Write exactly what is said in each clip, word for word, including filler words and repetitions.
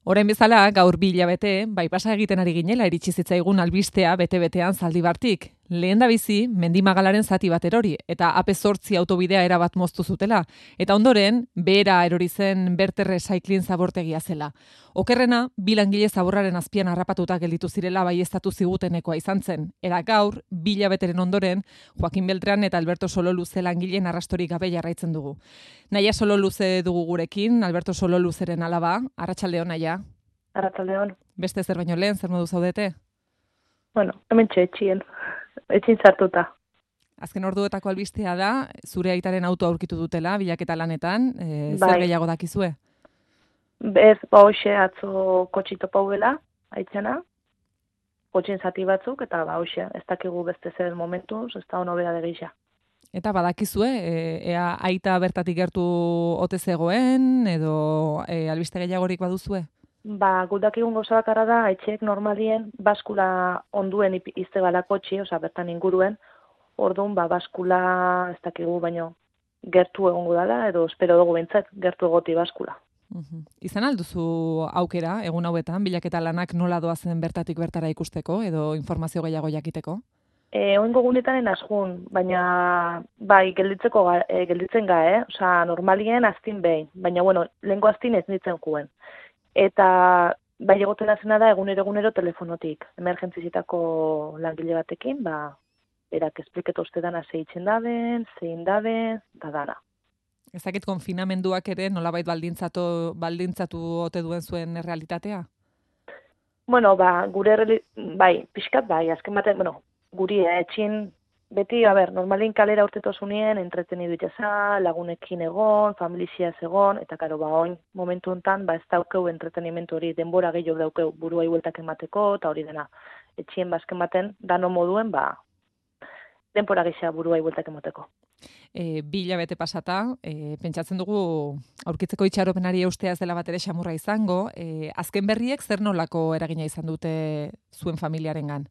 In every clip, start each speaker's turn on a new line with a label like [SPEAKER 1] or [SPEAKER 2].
[SPEAKER 1] Orain bezala, gaur bi hilabete, bai pasa egiten ari ginela iritsi zitzaigun albistea bete-betean Zaldibartik. Lehen da bizi, Mendimagalaren zati bat erori, eta A P zortzi autobidea erabat moztu zutela. Eta ondoren, behera erori zen Berterre Cycling zabortegia zela. Okerrena, bi langile zaborraren azpian harrapatuta gelditu zirela baieztatu zigutenekoa izan zen. Era gaur, bi hilabeteren ondoren, Joaquin Beltran eta Alberto Sololuze langileen arrastorik gabe jarraitzen dugu. Naia Sololuze dugu gurekin, Alberto Sololuzeren alaba, arratsaldeon Naia.
[SPEAKER 2] Arratsaldeon.
[SPEAKER 1] Beste zer baino lehen, zer modu zaudete?
[SPEAKER 2] Bueno, hemen etxien, etxin sartuta.
[SPEAKER 1] Azken orduetako albistea da, zure aitaren auto aurkitu dutela, bilaketa lanetan, e,
[SPEAKER 2] Bai.
[SPEAKER 1] zer gehiago dakizue?
[SPEAKER 2] Bez, ba hoxe atzo kotxito pauela, aitzena, kotxin zati batzuk, eta ba hoxe, ez dakigu beste zer momentuz, ez da ono bera de gisa.
[SPEAKER 1] Eta badakizue, e, ea aita bertatik gertu ote zegoen, edo e, albiste gehiagorik baduzue?
[SPEAKER 2] Ba, gudakigun gauza bakarra da, etxeek normalien baskula onduen izte bala kotxi, oza, bertan inguruen, orduan, ba, baskula ez dakigu baino gertu egongo dela, edo espero dugu bintzat, gertu egoti baskula.
[SPEAKER 1] Uhum. Izan alduzu aukera, egun hauetan, bilaketa lanak nola doazen bertatik bertara ikusteko, edo informazio gehiago jakiteko?
[SPEAKER 2] E, oingo gunetan asjun, baina bai, gelditzeko ga, e, gelditzen ga, eh? Osa, normalien aztin behin, baina bueno, lehenko aztin ez nitzen juen. Eta bai egoten azena da egunero-egunero telefonotik, emergentzizitako langile batekin, ba, berak espliketo uste dana zeitzen daben, zein daben, da dana.
[SPEAKER 1] Ezakit konfinamenduak ere nolabait baldintzatu, baldintzatu ote duen zuen realitatea?
[SPEAKER 2] Bueno, ba, gure, bai, pixkat bai, azken baten, bueno, guri eh, etxin, beti, a ber, normalin kalera urtetozunien, entretenidu itxasa, lagunekin egon, familiziaz egon, eta karo, ba, oin, momentu hontan, ba, ez daukeu entretenimentu hori, denbora gehiago daukeu buruai bueltak emateko, eta hori dena, etxien bazken baten, dano moduen, ba, denbora gehiago buruai bueltak emateko.
[SPEAKER 1] E, bi hilabete pasata, e, pentsatzen dugu aurkitzeko itxaropenari eusteaz dela bat ere xamurra izango, e, azken berriek zer nolako eragina izan dute zuen familiarengan?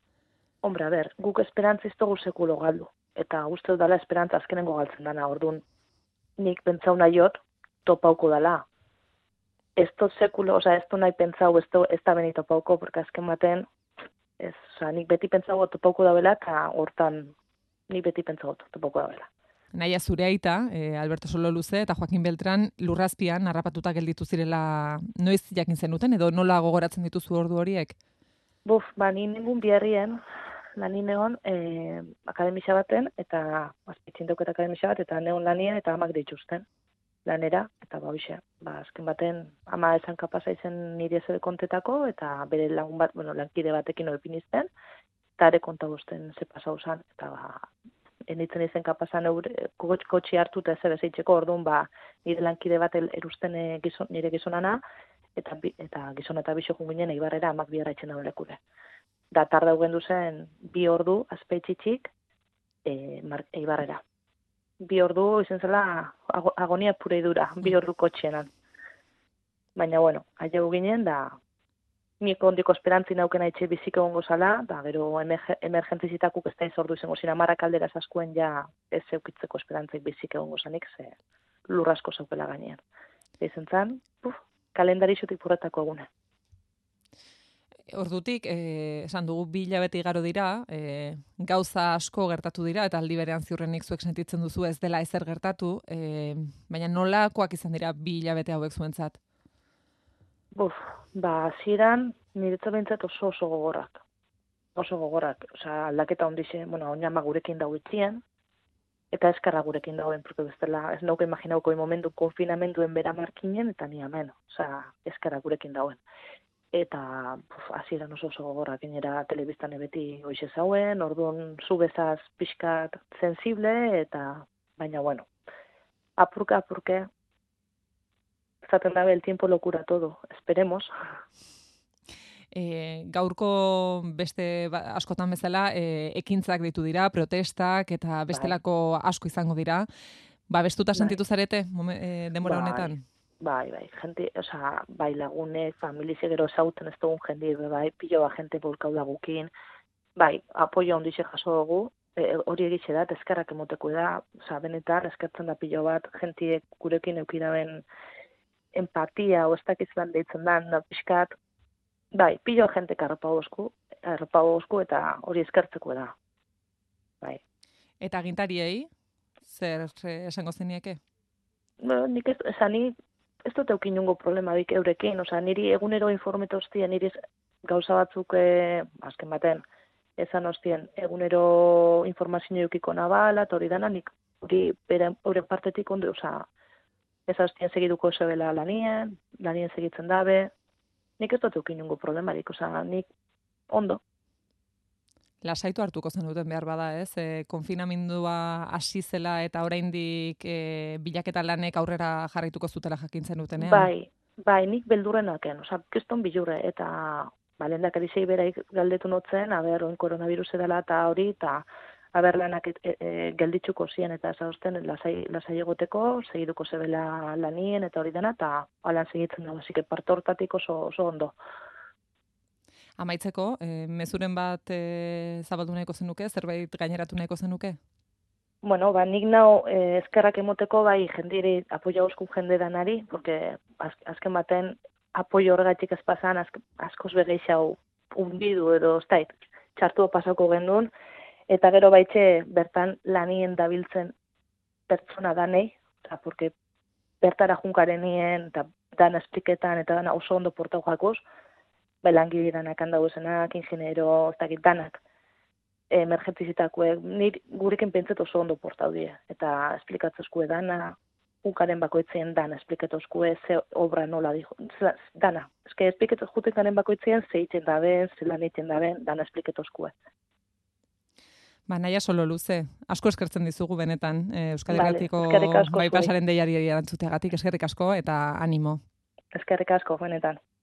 [SPEAKER 2] Hombre, a ber, guk esperantza ez dugu sekulo galdu, eta uste dela esperantza azkenengo galtzen dana, orduan nik pentsau nahiot, topauko dela. Ez dut sekulo, oza, ez dut nahi pentsau, ez, do, ez da beni topauko, porque azken baten, ez, oza, nik beti pentsau topauko dabela, eta hortan nik beti pentsau topauko dabela.
[SPEAKER 1] Naia zure aita, e, Alberto Sololuze eta Joaquin Beltran lurrazpian harrapatuta gelditu zirela noiz jakin zenuten, edo nola gogoratzen dituzu ordu horiek?
[SPEAKER 2] Buf, ba, ni ningun biherrien, lanin egon, e, akademisa baten, eta azpitzintok eta akademisa bat, eta neon lanien, eta amak dituzten lanera, eta ba, hoxe, ba, azken baten, ama esan kapasa izen nire zebe kontetako, eta bere lagun bat, bueno, lankide batekin oepinizten, eta ere konta guzten ze pasau zan, eta ba, enitzen izen kapazan kotxi hartu eta ez bezeitzeko, orduan, ba, nire lankide bat erusten e, gizon, nire gizonana, eta, eta gizon eta biso junginen eibarrera amak biharra etxen dago lekure. Da tarda ugendu zen bi ordu azpeitxitxik e, eibarrera. Bi ordu izen zela agonia pura idura, bi ordu kotxenan. Baina, bueno, aia ginen, da niko ondiko esperantzi naukena etxe bizik egongo zala, da gero emergentzizitakuk ez da izordu izango zira marrak aldera zaskuen ja ez eukitzeko esperantzik bizik egongo zanik, ze lurrasko zaukela gainean. Ezen zan, puf, kalendarixutik purretako egune.
[SPEAKER 1] Ordutik, eh, esan dugu bi hilabete igaro dira, eh, gauza asko gertatu dira, eta aldi berean ziurrenik zuek sentitzen duzu ez dela ezer gertatu, eh, baina nolakoak izan dira bi hilabete hauek zuentzat?
[SPEAKER 2] Buf, ba, hasieran niretzat behintzat oso oso gogorrak. Oso gogorrak, osea, aldaketa ondixe, bueno, oinama gurekin dago itzien, eta eskarra gurekin dagoen, porque bestela, ez nauko imaginauko momentu konfinamenduen bera markinen, eta ni hemen, osea, eskarra gurekin dagoen. Eta hasieran oso oso gogorrak, gainera telebistan beti hoize zauen, orduan zu bezaz pixkat sensible, eta baina bueno, apurka apurke, zaten dabe el tiempo locura todo, esperemos.
[SPEAKER 1] E, gaurko beste ba, askotan bezala, e, ekintzak ditu dira, protestak eta bestelako bai. Asko izango dira. Ba, bestuta bai. Sentitu zarete e, denbora
[SPEAKER 2] bai.
[SPEAKER 1] honetan?
[SPEAKER 2] Bai, bai, gente, osea, bai lagunek, familize gero zauten ez dugun jendi, bai, pilo ba gente bolkau dagukin, bai, apoio ondixe jaso dugu, e, hori egitxe da, eskerrak emoteko da, osea, benetan, eskertzen da pilo bat, jentiek gurekin eukiraben empatia, o ez dakizlan deitzen da, da pixkat, bai, pilo jentek arropa bosku, arropa bosku eta hori eskertzeko da. Bai.
[SPEAKER 1] Eta agintariei, zer eh, esango zenieke?
[SPEAKER 2] Bueno, nik ez, esan, ni ez dut eukin nungo problema dik eurekin, oza, niri egunero informeto hostien, niri gauza batzuk, eh, azken baten, esan hostien, egunero informazio eukiko nabala, eta hori dana, nik hori bere, hori partetik ondo, oza, ez hostien segiduko zebela lanien, lanien segitzen dabe, nik ez dut eukin nungo problemarik, oza, nik ondo.
[SPEAKER 1] Lasaitu hartuko zenuten behar bada, ez? E, konfinamendua hasi zela eta oraindik e, bilaketa lanek aurrera jarraituko zutela jakintzen dutenean.
[SPEAKER 2] Bai, bai, nik beldurrenaken, oza, keston bilurre, eta ba, lehendak edizei beraik galdetu notzen, aber, oin koronavirus edala eta hori, eta aber lanak e, e, gelditzuko ziren, eta ez hausten lasai, lasai egoteko, segiduko zebela lanien, eta hori dena, eta alan segitzen da, basik, parte hortatik oso, oso ondo.
[SPEAKER 1] Amaitzeko, e, mezuren bat e, zabaldu nahiko zenuke, zerbait gaineratu nahiko zenuke?
[SPEAKER 2] Bueno, ba, nik nao eh, eskerrak emoteko bai jendiri apoio euskun jende danari, porque az, azken baten apoio horregatik ez pasan, az, askoz begeixau unbidu edo ez dait, txartu pasako gendun, eta gero baitxe bertan lanien dabiltzen pertsona danei, eta porque bertara junkarenien, eta dan espliketan, eta dana oso ondo portau jakoz, bai langile danak handauzenak, ingeniero, ez dakit danak, emergentzizitakoek, nir gurekin pentsat oso ondo portau die, eta esplikatzezkue dana, ukaren bakoitzien dana esplikatzezkue, ze obra nola dijo, dana, eske esplikatzez jutekaren bakoitzien ze egiten daben, ze lan egiten daben, dana esplikatzezkue.
[SPEAKER 1] Ba, naia solo luze, asko eskertzen dizugu benetan, e, Euskal
[SPEAKER 2] Vale,
[SPEAKER 1] Herratiko
[SPEAKER 2] eskerrik asko
[SPEAKER 1] bai
[SPEAKER 2] zuri.
[SPEAKER 1] pasaren deiari erantzuteagatik, eskerrik asko eta animo.
[SPEAKER 2] Eskerrik asko, benetan.